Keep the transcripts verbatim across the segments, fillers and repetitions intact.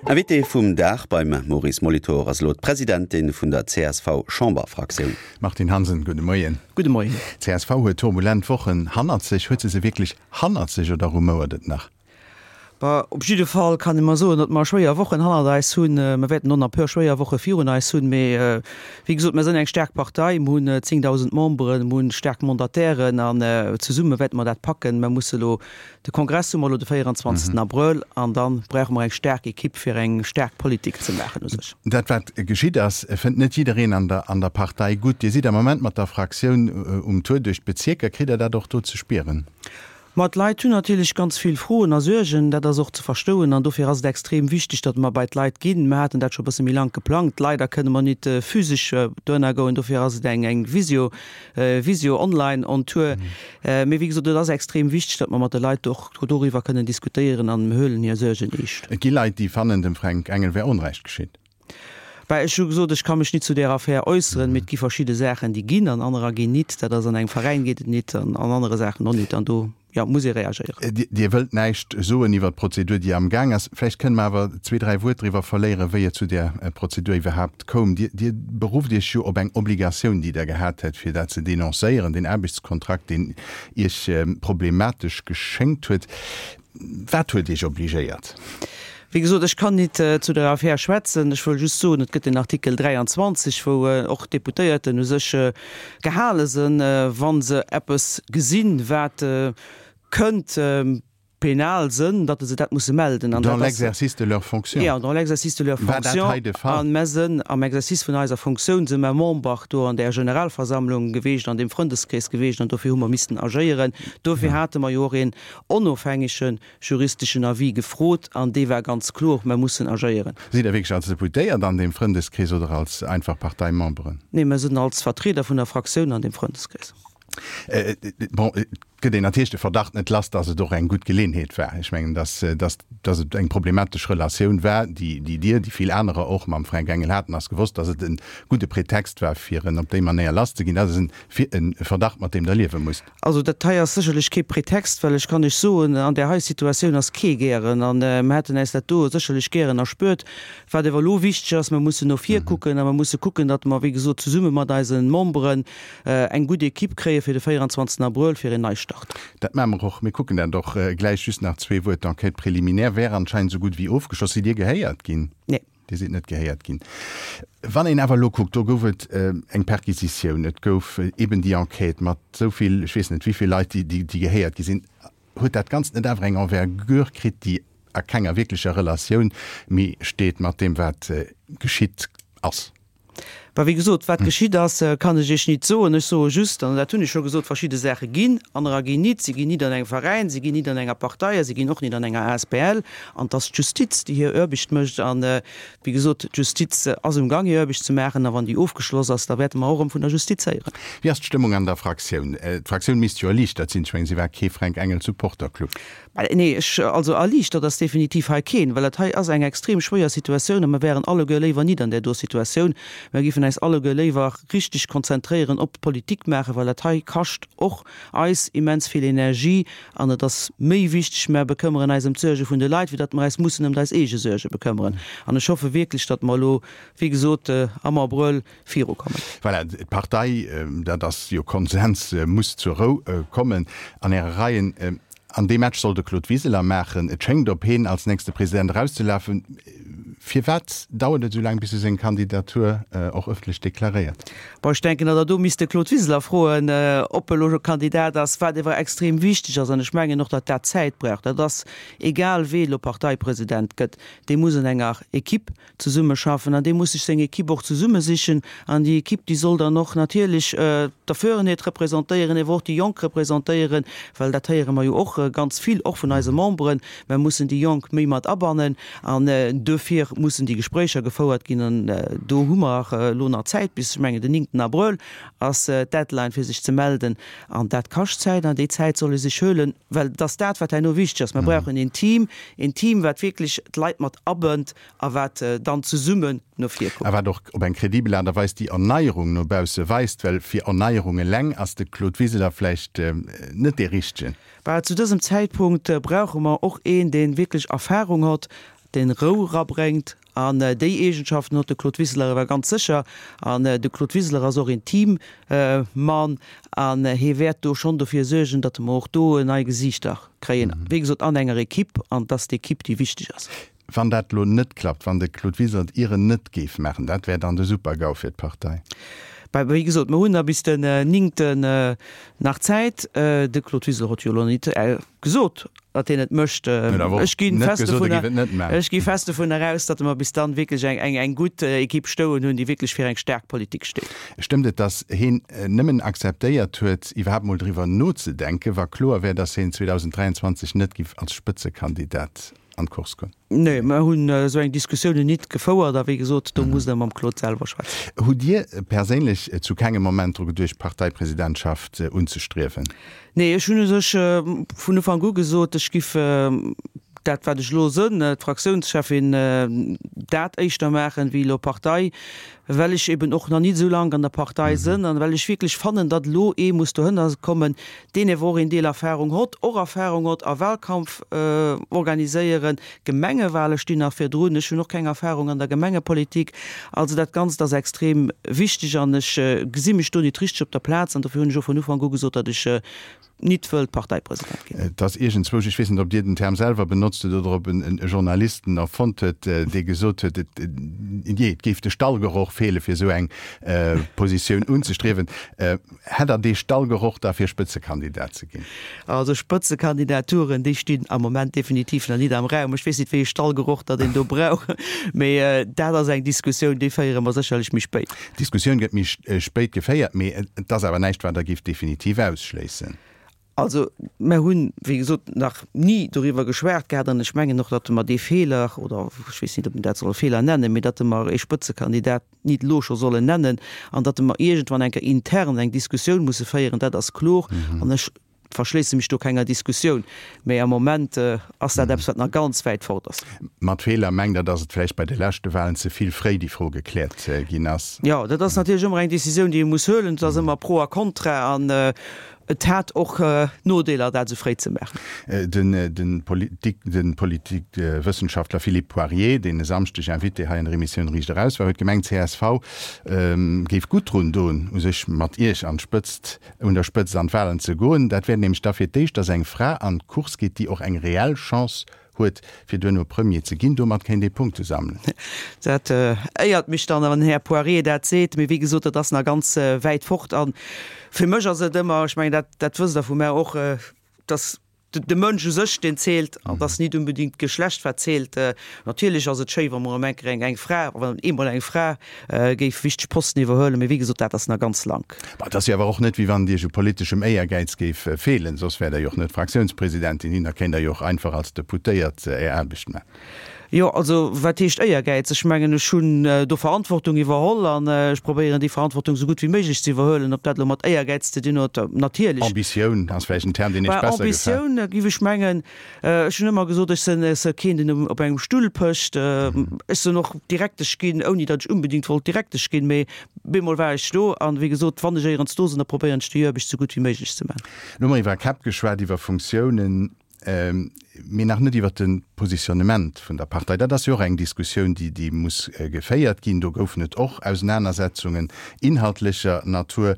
Invité vum Dag beim Maurice Molitor ass elo d'Presidentin vun der C S V-Chamberfraktioun. Martine Hansen, gudde Moien. Gudde Moien. C S V huet turbulent Wochen hannert sech. Huet se se wierklech hannert sech oder rumouert et nach? Bah, op jidde Fall kann ee mol soen, datt mer schwéier Wochen hannert eis hunn. Mer wäerten och nach e puer schwéier Woche virun eis hunn, mee wéi gesot, mer sinn eng staark Partei, mer hunn zéngdausend Memberen, mer hunn staark Mandatairen an zesumme wäerte mer dat packen. Mer musse elo, de Kongress hu mer elo de véierundzwanzegsten Abrëll an da brauche mer eng staark Ekipp fir eng staark Politik ze maachen u sech. Dat wat geschitt ass, fënnt net jiddereen an der an der Partei gutt. Dir sidd am Moment mat der Fraktioun um Tour duerch d'Bezierker. Kritt Der dat och do ze spieren? Ma d'Leit hunn natierlech ganz vill Froen a Suergen, dat ass och ze verstoen an dofir ass et extrem wichteg, datt mer bei d'Leit ginn. Mer haten dat scho bësse méi laang geplangt. Leider kënne mer nit physesch dohinner goen, dofir ass et eng eng Visio, Visio online on Tour. Mee wéi gesot, et ass extrem wichteg, datt mer mat de Leit och doriwwer kënnen diskutéieren an mer huelen hir Suergen eescht. Et gi Leit, déi fannen, dem Fränk Engel wär Onrecht geschitt. Bah, ech hu gesot, ech ka mech nit zu där Affär äusseren, mee et gi verschidde Saachen, déi ginn an anerer ginn nit. Dat ass an engem Veräin geet et nit an an anere Saachen och nit an do, jo, muss ee reagéieren. Dir wëllt näischt soen iwwer d'Prozedur, déi am Gaang ass. Vläicht kënne mer awer zwee, dräi Wuert driwwer verléieren, wéi et zu där Prozedur iwwerhaapt koum. Dir, Dir berufft Iech jo op eng Obligatioun, déi Der gehat hätt, fir dat ze denoncéieren, deen Aarbechtskontrakt, deen Iech problematesch geschéngt huet. Wat huet Iech obligéiert? Wéi gesot, ech kann nit zu der Affär schwätzen. Ech wëll just soen, et gëtt den Artikel dräianzwanzeg, wou och d'Deputéierten u sech gehale sinn, wa se eppes gesinn, wat kënnt penal sinn, datt se dat musse melden. An dat ass. Dans l'exercice de leurs fonctions. Jo, dans l'exercice de leurs fonctions. War dat hei de Fall? An mer sinn am Exercice vun eiser Funktioun si mer Member do an där Generalversammlung geweecht, an deem Frëndeskrees geweecht, an dofir hu mer missten agéieren. Dofir hate mer jo och een onofhängege juristeschen Avis gefrot an dee war ganz kloer, mer mussen agéieren. Sidd Der wierklech als Deputéiert an deem Frëndeskrees oder als einfach Parteimemberen? Nee, mer sinn als Vertrieder vun der Fraktioun an deem Frëndeskrees. Bon, et gëtt een natierlech de Verdacht net lass, dass et och eng gutt Geleeënheet war. Ech mengen, dass, dass, dass et eng problematesch Relatioun war, déi, déi Dir, déi vill anerer och mam Fränk Engel haten, ass gewosst, dass et e gudde Pretext war, fir en op déi Manéier lasszeginn. Dat ass e Verdacht, mat deem Der liewe musst. Also dat hei ass sécherlech kee Pretext, well ech kann lech soen, an där hei Situatioun ass kee gären an mer hätten äis dat do sécherlech gären erspuert. Wat awer elo wichteg ass, mer mussen no vir kucken a mer musse kucken, datt mer, wéi gesot, zesumme mat eise Memberen eng gutt Equipe kréie fir de véierundzwanzegsten Abrëll fir een Neistart. Dat maache mer och. Mir kucken dat och gläich. Just nach zwee Wuert, D'Enquête préliminaire wär anscheinend esou gutt wéi ofgeschloss. Sidd Dir gehéiert ginn? Nee. Dir sidd net gehéiert ginn. Wann een awer elo kuckt, do gouf et eng Perquisitioun, et gouf eben déi Enquête mat esou vill, ech weess net wéi vill Leit, déi gehéiert gi sinn, huet dat Ganzt net awer eng Envergure kritt, déi a kenger wierklecher Relatioun méi steet mat deem, wat geschitt ass? Bah, wéi gesot, wat geschitt ass, kann ech Iech nit soen. Ech soe just, an dat hunn ech scho gesot, verschidde Saache ginn, anerer ginn nit. Si ginn nit an engem Veräin, si ginn nit an enger Partei a si ginn och nit an enger A S B L. An et ass d'Justiz, déi hir Aarbecht mécht. An, wéi gesot, d'Justiz ass um Gang, hir Aarbecht ze maachen. A wann déi ofgeschloss ass, da wäerte mer och erëm vun der Justiz héieren. Wéi ass d'Stëmmung an der Fraktioun? D'Fraktioun misst jo erliichtert sinn. Ech mengen, si war kee Fränk Engel Supporterclub. Nee, ech, also erliichtert ass definitiv hei keen, well dat hei ass eng extrem schwéier Situatioun a mer wären alleguer léiwer nit an där do Situatioun. Mer géifen eis alleguer léiwer richteg konzentréieren op Politik maachen, well dat hei kascht och eis immens vill Energie an et ass méi wichteg, mer bekëmmeren eis ëm d'Suerge vun de Leit, wéi datt mer eis mussen ëm eis eege Suerge bekëmmeren. An ech hoffe wierklech, datt mer elo, wéi gesot, am Abrëll virukommen. Voilà, d'Partei, dat ass jo Konsens, muss zur Rou kommen an Äre Reien. An dee Match soll de Claude Wiseler maachen. Et schéngt op heen als nächste President erauszelafen. Firwat dauert et esou laang, bis e seng Kandidatur och ëffentlech deklaréiert? Bon, ech denken, datt Der do misst de Claude Wiseler froen, ob e elo scho Kandidat ass. Wat ewer extrem wichteg ass, an ech mengen och, datt dat Zäit brauch, dat ass, egal wee elo Parteipresident gëtt, dee muss an enger Equipe zesummeschaffen an dee muss sech seng Equipe och zesummesichen. An déi Equipe, déi soll dann och natierlech d'Erfuerenheet representéieren, ewer och déi Jonk representéieren, well dat héiere mer jo och ganz vill, och vun eise Memberen, mer mussen déi Jonk méi mat abannen. An duerfir mussen déi Gespréicher gefouert ginn. An do hu mer elo nach Zäit bis, ech mengen, den néngten Abrëll ass d'Deadline, fir sech ze melden. An dat kascht Zäit an déi Zäit soll ee sech huelen, well et ass dat, wat herno wichteg ass. Mer brauchen een Team, een Team, wat wierklech d'Leit mat abënnt a wat dann zesummen no vir kuckt. A wat och op eng kredibel Aart a Weis déi Erneierung no bausse weist, well fir Erneierung eleng ass de Claude Wiseler vläicht net dee Richtegen. Bah, zu dësem Zäitpunkt brauche mer och een, dee wierklech Erfahrung hott, deen Rou erabréngt. An déi Eegenschaften huet de Claude Wiseler awer ganz sécher. An de Claude Wiseler ass och een Teammann an hie wäert do schonn dofir suergen, datt mer och do nei Gesiichter kréien. Wéi gesot, an enger Equipe, an et ass d'Equipe, déi wichteg ass. Wann dat elo net klappt, wann de Claude Wiseler et ieren net géif maachen, dat wär dann de Super-GAU fir d'Partei? Bah, wéi gesot, mer hunn nach bis den néngten nach Zäit. De Claude Wiseler huet jo elo net gesot, datt hien et mécht. Ech gi fest dovunner, ech gi fest dovunner aus, datt mer bis dann wierklech eng, eng, eng gutt Equipe stoen hunn, déi wierklech fir eng staark Politik steet. Stëmmt et, datt hien nëmmen akzeptéiert huet, iwwerhaapt mol driwwer nozedenken, wa kloer wär, datt hien zweedausend dräianzwanzeg net giff als Spëtzekandidat an d'Course goen? Nee, mer hunn esou eng Diskussiounen nit gefouert a wéi gesot, do musst Der mam Claude selwer schwätzen. Hutt Dir perséinlech zu kengem Moment dru geduecht, d'Parteipresidentschaft unzestriewen? Nee, ech hunn u sech vun Ufank u gesot, ech giff dat, wat ech elo sënn, d'Fraktiounscheffin, dat éischter maachen, wéi elo Partei, well ech eben och nach nit esou laang an der Partei sënn an well ech wierklech fannen, datt elo ee muss dohënner kommen, deen ewer och een Deel Erfahrung hott, och Erfahrung hott a Wahlkampf organiséieren. Gemengewahle stinn nach virdrun, ech hunn och keng Erfahrung an der Gemengepolitik. Also dat Ganzt ass extrem wichteg an ech gesi mech do nit richteg op der Plaz an dofir hunn ech och vun Ufank u gesot, datt ech nit wëllt Parteipresident ginn. Et ass iergendzwousch, ech weess net, ob Dir den Term selwer benotzt hutt oder ob en e Journalist en erfonnt huet, dee gesot huet, et, jee, et géif de Stallgeroch feele fir esou eng Positioun unzestriewen. Hätt Der dee Stallgeroch da fir Spëtzekandidat ze ginn? Also Spëtzekandidaturen, déi stinn am Moment definitiv nach nit am Raum. Ech weess nit, wéi ee Stallgeroch datt een do brauch, mee dat ass eng Diskussioun, déi féiere mer sécherlech méi spéit. D'Diskussioun gëtt méi spéit geféiert, mee et ass awer näischt, wat Der géift definitiv ausschléissen. Also, mer hunn, wéi gesot, nach ni doriwwer geschwat gehat an ech mengen och, datt mer dee Feeler, oder ech weess nit, ob een dat soll e Feeler nennen, mee datt mer ee Spëtzekandidat nit elo scho sollen nennen an datt mer iergendwann eng Kéier intern eng Diskussioun musse féieren, dat ass kloer. An ech verschléisse mech do kenger Diskussioun. Mee am Moment ass dat eppes, wat nach ganz wäit fort ass. Mat Feeler mengt Der, datt et vläicht bei de leschte Wahlen ze vill fréi déi Fro gekläert ginn ass? Jo, dat ass natierlech ëmmer eng Décisioun, déi ee muss huelen. Et ass ëmmer Pro a Contra an Et hat och Nodeeler, dat esou fréi ze maachen. Den Politikwëssenschaftler Philippe Poirier, deen e Samschdeg Invité hei an der Emissioun Riicht Eraus war, huet gemengt, csv géif gutt drun doen, u sech mat Iech an d'Spëtzt, un der Spëtzt an d'Wahlen ze goen. Dat wär nämlech da fir d'éischt, datt eng Fra an d'Course geet, déi och eng reell Chance huet, fir duerno Premier ze ginn. Domat kéint ee Punkte sammelen. Dat éiert mech dann, wann den Här Poirier dat seet. Mee wéi gesot, dat ass nach ganz wäit fort. A fir mech ass et ëmmer, ech mengen, dat, dat wësst Der vu mär och, dass de Mënsch u sech, deen zielt, an dass nit unbedingt d'Geschlecht, wat zielt. Natierlech ass et schéi, wa mer erëm eng Kéier eng Fra, wann eemol eng Fra géif wichteg Posten iwwerhuelen. Mee wéi gesot, dat ass nach ganz lank. Bon, et ass jo awer och net, wéi wann et Iech u politeschem Éiergäiz géif feelen, soss wäert Der jo och net Fraktiounspresidentin ginn, da kéint Der jo och einfach als Deputéiert Är Aarbecht maachen. Jo, also wat heescht Éiergäiz? Ech mengen, ech hunn do Verantwortung iwwerholl an ech probéieren, déi Verantwortung esou gutt wéi méiglech ze iwwerhuelen. Ob dat elo mat Éiergäiz ze dinn huet, natierlech. Ambitioun ass vläicht en Term, deen Iech besser gefält. Ambitioun, géif ech mengen. Ech hunn ëmmer gesot, ech sinn keen, deen op engem Stull pécht. Ech sinn och Direktesch ginn, ouni datt ech unbedingt wollt Direktesch ginn, mee bemol war ech do. An, wéi gesot, wann ech éierens do sinn, da probéieren ech déi Aarbecht esou gutt wéi méiglech ze maachen. Elo hu mer iwwer Käpp geschwat, iwwer Funktiounen, mee nach net iwwer de Positionnement vun der Partei. Dat ass jo och eng Diskussioun, déi, déi muss geféiert ginn. Do goufen et och Ausenanersetzungen inhaltlecher Natur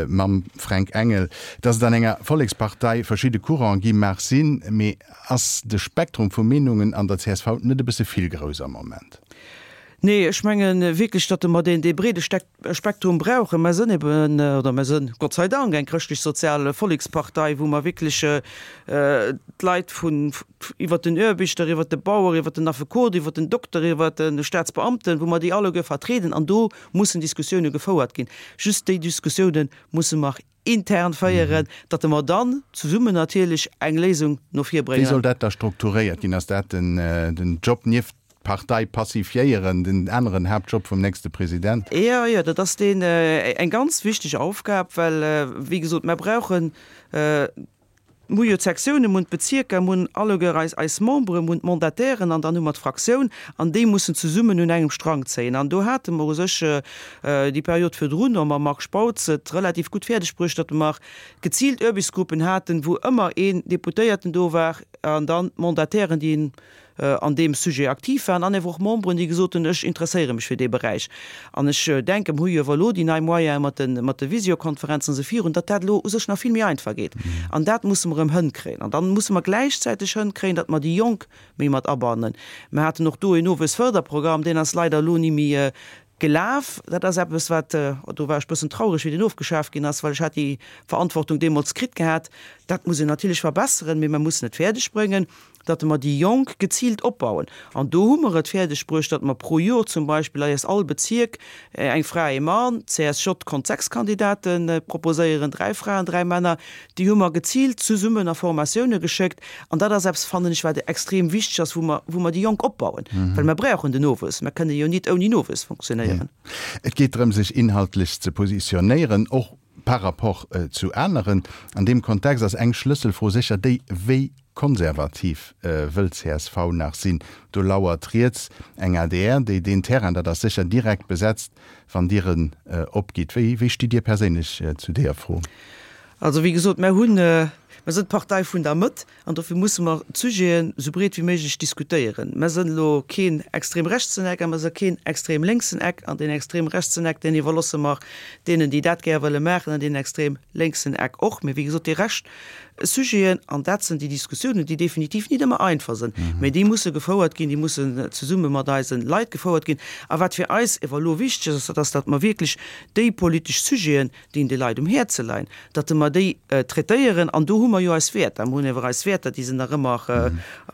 mam Fränk Engel. Datt et an enger Vollekspartei verschidde Courante gi mag sinn, mee ass de Spektrum vu Meenungen an der csv net e bësse vill grouss am Moment? Nee, ech menge wierklech, datt mer deen, dee breede Spektrum brauchen. Mer sënn eben, oder mer sënn Gott sei Dank eng chrëschtlech-sozial Vollekspartei, wou mer wierklech d'Leit vun, iwwert den Aarbechter, iwwert de Bauer, iwwert den Affekot, iwwert den Dokter, iwwert de Staatsbeamten, wou mer déi alleguer vertrieden. An do mussen Diskussioune gefouert ginn. Just déi Diskussioune musse mer intern féieren, datt mer dann zesummen natierlech eng Léisung no vir Wéi bréngen. soll dat da strukturéiert ginn? Ass dat den Job nieft d'Partei pacifiéieren, den aneren Haaptjob vum nächste President? Jo, jo, dat ass deen eng ganz wichteg Aufgab, well, wéi gesot, mer brauchen, mer hu jo d'Sektiounen, mer hunn d'Bezierker, mer hunn alleguer eis, eis Memberen, mer hunn d'Mandatairen an dann hu mer d'Fraktioun an déi mussen zesummen un engem Strang zéien. An do hate mer u sech déi Period virdrun och mam Marc Spautz et relativ gutt fäerdeg bruecht, datt mer geziilt Aarbechtsgruppen haten, wou ëmmer een Deputéierten do war an dann d'Mandatairen, déi en an deem Sujet aktiv waren an ewer och Memberen, déi gesot hunn, ech interesséiere mech fir dee Beräich. An ech denken, mir hu jo ewer elo déi nei Moyene mat de, mat de Visiokonferenzen esou virun, datt dat elo u sech nach vill méi einfach geet. An dat musse mer erëm hënkréien. An dann musse mer gläichzäiteg hënkréien, datt mer déi Jonk méi mat abannen. Mer haten och do een Nowuessförderprogramm, deen ass leider elo ni méi gelaf. Dat ass eppes, wat, do war ech bëssen traureg, wéi deen ofgeschaf ginn ass, well ech hat déi Verantwortung deemools kritt gehat. Dat muss een natierlech verbesseren, mee mer mussen et fäerdeg bréngen, datt mer déi Jonk geziilt opbauen. An do hu mer et fäerdeg bruecht, datt mer pro Jor zum Beispill eis all Bezierk eng Fra, ee Mann, d'CSJ konnt sechs Kandidate proposéieren, dräi Fraen, dräi Männer, déi hu mer geziilt zesummen a Formatioune geschéckt. An dat ass eppes, fannen ech, wat extrem wichteg ass, wou mer, wou mer déi Jonk opbauen, well mer brauchen den Nowuess. Mer kënne jo nit ouni Nowuess funktionéieren. Et geet drëm, sech inhaltlech ze positionéieren, och par rapport zu aneren. An deem Kontext ass eng Schlësselfro sécher déi, Wéi konservativ wëll csv nach sinn? Do lauert riets eng adr, déi deen Terrain, dat ass sécher, direkt besetzt, wann Dir en opgitt. Wéi, wéi stitt Dir perséinlech zu deeër Fro? Also wéi gesot, mer hunn, mer sinn d'Partei vun der Mëtt an dofir musse mer d'Sujeten esou breet wéi méiglech diskutéieren. Mer sinn elo keen extrem rechtsen Eck a mer si keen extrem lénksen Eck an deen extrem rechtsen Eck, deen iwwerlosse mer deenen, déi dat gär wëlle maachen an deen extrem lénksen Eck och. Mee wéi gesot, déi Rescht Sujeten, an dat sinn déi Diskussiounen, déi definitiv nit ëmmer einfach sinn, mee déi musse gefouert ginn, déi mussen zesumme mat eise Leit gefouert ginn. A wat fir eis ewer elo wichteg ass, dat ass, datt mer wierklech déi politesch Sujeten, déi de Leit um Häerze leien, datt mer déi traitéieren. An do hu mer jo eis Wäerter. Mer hunn ewer eis Wäerter, déi sinn nach ëmmer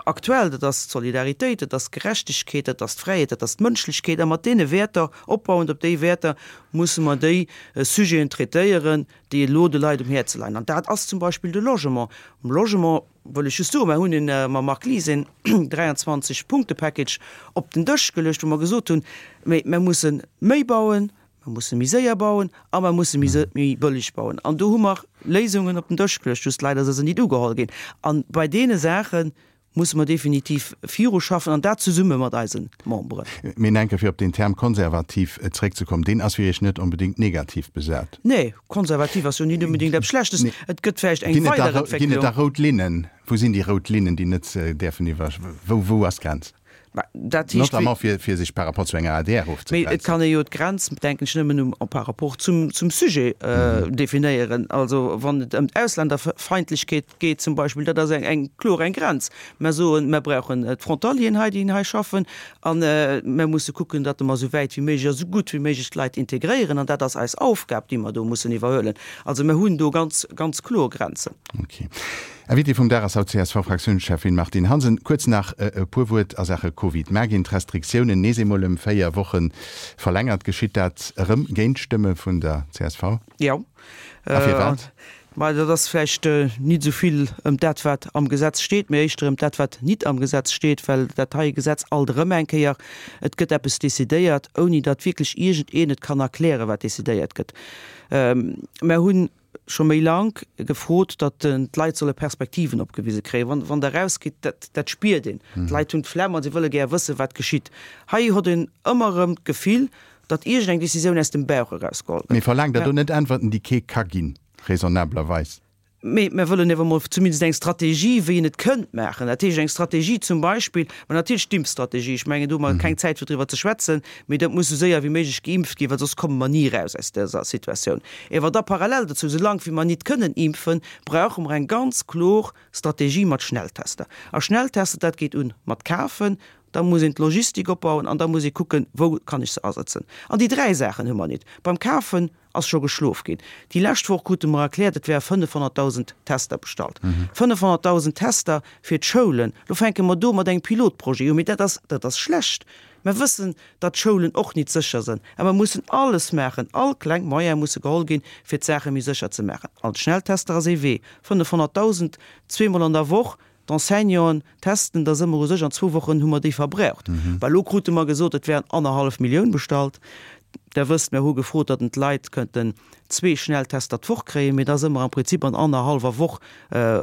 aktuell. Dat ass d'Solidaritéit, dat ass d'Gerechtegkeet, dat ass d'Fräiheet, dat ass d'Mënschlechkeet. A mat deene Wäerter, opbauend op déi Wäerter, musse mer déi Sujeten traitéieren, déi elo de Leit um Häerze leien. An dat ass zum Beispill de Logement. Um Logement wëll ech just soen, mer hunn een, mam Marc Lies een dräianzwanzeg Punkte-Package op den Dësch geluecht, wou mer gesot hunn, Mee mer musse méi bauen, mer musse méi séier bauen a mer musse méi méi bëlleg bauen. An do hu mer Léisungen op den Dësch geluecht, just leider si se nit ugeholl ginn. A bei deene Saache musse mer definitiv viruschaffen an dat zesumme mat eise Memberen. Mee enke fir op den Term konservativ zréckzekommen, deen ass fir Iech net onbedéngt negativ besat? Nee, konservativ ass jo nit onbedéngt eppes Schlechtes. Et gëtt vläicht eng Weiderentwécklung. Ginn et da rout Linnen? Wou sinn déi rout Linnen, déi net däerfen iwwer, wou, wou ass d'Grenz? Dat heescht, Notamment fir, fir sech par rapport zu enger adr ofzegrenzen. Mee et kann ee jo d'Grenz, denken ech, nëmmen um, par rapport zum, zum Sujet definéieren. Also wann et ëm d'Ausländerfeindlechkeet geet zum Beispill, dat ass eng, eng kloer eng Grenz. Mer soen, mer brauchen d'Frontalieren hei, déi hei schaffen, a mer musse kucken, datt mer esou wäit wéi méiglech a esou gutt wéi méiglech d'Leit integréieren. An dat ass eis Aufgab, déi mer do mussen iwwerhuelen. Also mer hunn do ganz, ganz kloer Grenzen. Okay. Invité vum Dag ass haut d'CSV-Fraktiounscheffin Martine Hansen. Kuerz nach e puer Wuert a Saache Covid. Mar ginn d'Restriktiounen nees eemol ëm véier Woche verlängert. Geschitt dat erëm géint d'Stëmme vun der csv? Jo. A firwat? Ma dat ass vläicht nit esou vill ëm dat, wat am Gesetz steet, mee éischter ëm dat, wat nit am Gesetz steet, well dat heie Gesetz alt erëm eng Kéier, et gëtt eppes decidéiert, ouni datt wierklech iergendeen et kann erklären, wat decidéiert gëtt. Mer hunn scho méi lank gefrot, datt d'Leit solle Perspektiven opgewise kréien. Wann, wann Der erausgitt, dat, dat spiert een. D'Leit hunn d'Flemm a si wëlle gär wëssen, wat geschitt. Hei huet een ëmmer erëm d'Gefill, datt iergendeng Decisioun aus dem Bauch erausgeholl gëtt. Mee verlaangt Der do net Äntwerten, déi kee ka ginn, raisonnablerweis? Mee mir wëllen ewer mol zumindest eng Strategie, wéi een et kënnt maachen. Dat heescht, eng Strategie zum Beispill, ma natierlech d'Impfstrategie, ech mengen, do hu mer keng Zäit fir driwwer ze schwätzen, mee dat muss esou séier wéi méiglech geimpft ginn, well soss komme mer ni eraus aus dëser Situatioun. Ewer da parallel dozou, soulaang wéi mer nit kënnen impfen, brauche mer eng ganz klor Strategie mat Schnelltester. A Schnelltester, dat geet un mat kafen, da muss een d'Logistik opbauen an da muss ee kucken, wou kann ech se asetzen. An déi dräi Saachen hu mer nit. Beim Kafen ass scho geschlof ginn. Déi lescht Woch krute mer erkläert, et wäre fënnefhonnertdausend Tester bestallt. Fënnefhonnertdausend Tester fir d'Schoulen. Lo fänke mer do mat engem Pilotprojet u, mee dat ass, dat ass schlecht. Mer wëssen, datt d'Schoulen och nit sécher sinn, a mer mussen alles maachen, all kleng Moyene musse geholl ginn, fir d'Saache méi sécher ze maachen. An d'Schnelltester ass ee Wee. Fënnefhonnertdausend, zweemol an der Woch, D'Enseignanten testen, da si mer u sech an zwou Wochen hu mer déi verbraucht. Well elo krute mer gesot, et wären annerhallef Millioun bestallt. Der wësst, mir hu gefrot, datt d'Leit kënnten zwee Schnelltester d'Woch kréien, mee da si mer am Prinzip an annerhallwer Woch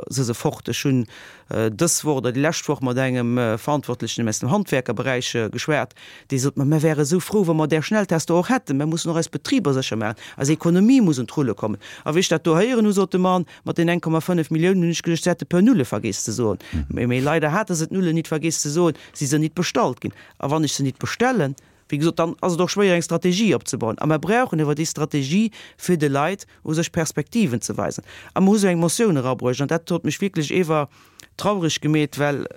si se fort. Ech hunn dës Woch oder déi lescht Woch mat engem Verantwortlechen aus dem Handwerkerberäich geschwat, dee sot mer, Mir wäre esou frou, wa mer där Schnelltester och hätten. Mir mussen och eis Betriber sécher maachen, eis Ekonomie muss un d'Rulle kommen. A wéi ech dat do héieren hu, sot de Mann, mat den eng Komma fënnef Milliounen hunn ech geduecht, se hätte e puer Nulle vergeess ze soen. Mee leider hate se d'Nullen nit vergeess ze soen, si se nit bestallt ginn. A wann ech se nit bestellen, wéi gesot, dann ass et och schwéier eng Strategie opzebauen. A mer brauchen awer déi Strategie, fir de Leit u sech Perspektiven ze weisen. A mer hu sou eng Motioun erabruecht, an dat huet mech wierklech ewer traureg gemeet, well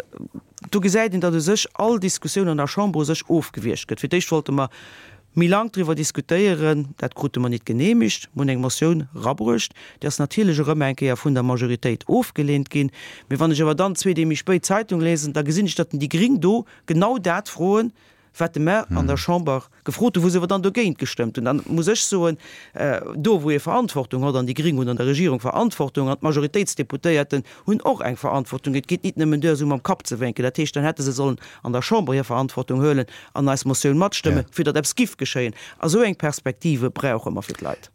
do gesäit een, datt u sech all Diskussioun an der Chamber u sech ofgewiergt gëtt. Fir d'éischt wollte mer méi laang driwwer diskutéieren, dat krute mer nit genehmigt. Mer hunn eng Motioun erabruecht, déi ass natierlech erëm eng Kéier vun der Majoritéit ofgeleent ginn. Mee wann ech awer dann zwee Dee méi spéit d'Zeitung lesen, da gesinn ech, datt déi Gring do genau dat froen, wat de mer an der Chamber gefrot hunn, wou se awer dann dogéint gestëmmt hunn. Dann muss ech soen, do wou ee Verantwortung huet, an déi Gring hunn an der Regierung Verantwortung, an d'Majoritéitsdeputéierten hunn och eng Verantwortung, et geet nit nëmmen duer esou mam Kapp ze wénken, dat heescht, dann hätte se sollen an der Chamber hir Verantwortung huelen an eis Motioun matstëmmen, fir datt eppes giff geschéien. A sou eng Perspektive brauche mer fir d'Leit.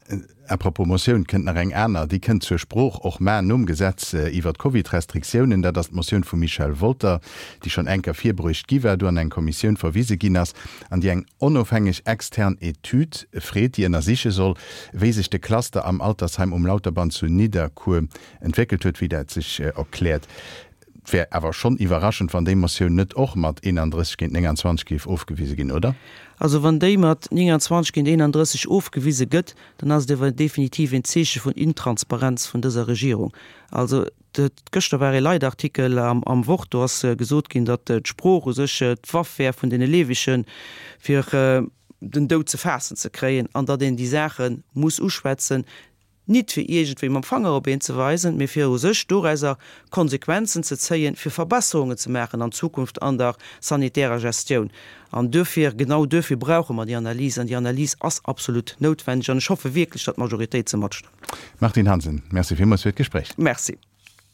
À propos Motioun, kënnt nach eng aner, déi kënnt zur Sprooch och mar nom Gesetz iwwert d'Covid-Restriktiounen. Dat ass d'Motioun vum Michel Wolter, déi schonn eng Kéier virbruecht gi war, do an eng Kommissioun verwise ginn ass an déi eng onofhängeg extern Etüd freet, déi ënnersiche soll, wéi sech de Cluster am Altersheim um Lauterbann zu Nidderkuer entwéckelt huet, wéi dat sech erkläert. Et wär awer schonn iwwerraschend, wann déi Motioun net och mat eenandrësseg géint nénganzwanzeg géif ofgewise ginn, oder? Also wann déi mat nénganzwanzeg géint eenandrësseg ofgewise gëtt, dann ass et awer definitiv een Zeeche vun Intransparenz vun dëser Regierung. Also gëschter war ee Leitartikel am Wort, do ass gesot ginn, datt d'Sprooch u sech d'Waff wär vun deene Leewegen, fir den Doud ze faassen ze kréien, an datt een déi Saache muss uschwätzen, nit fir iergendwéi mam Fanger op een ze weisen, mee fir u sech dorauser Konsequenzen ze zéien, fir Verbesserungen ze maachen an Zukunft an der sanitärer Gestioun. An duerfir, genau duerfir brauche mer déi Analys, an déi Analys ass absolut noutwendeg an ech hoffe wierklech, datt d'Majoritéit se matstëmmt. Martine Hansen, Merci villmools fir d'Gespréich. Merci.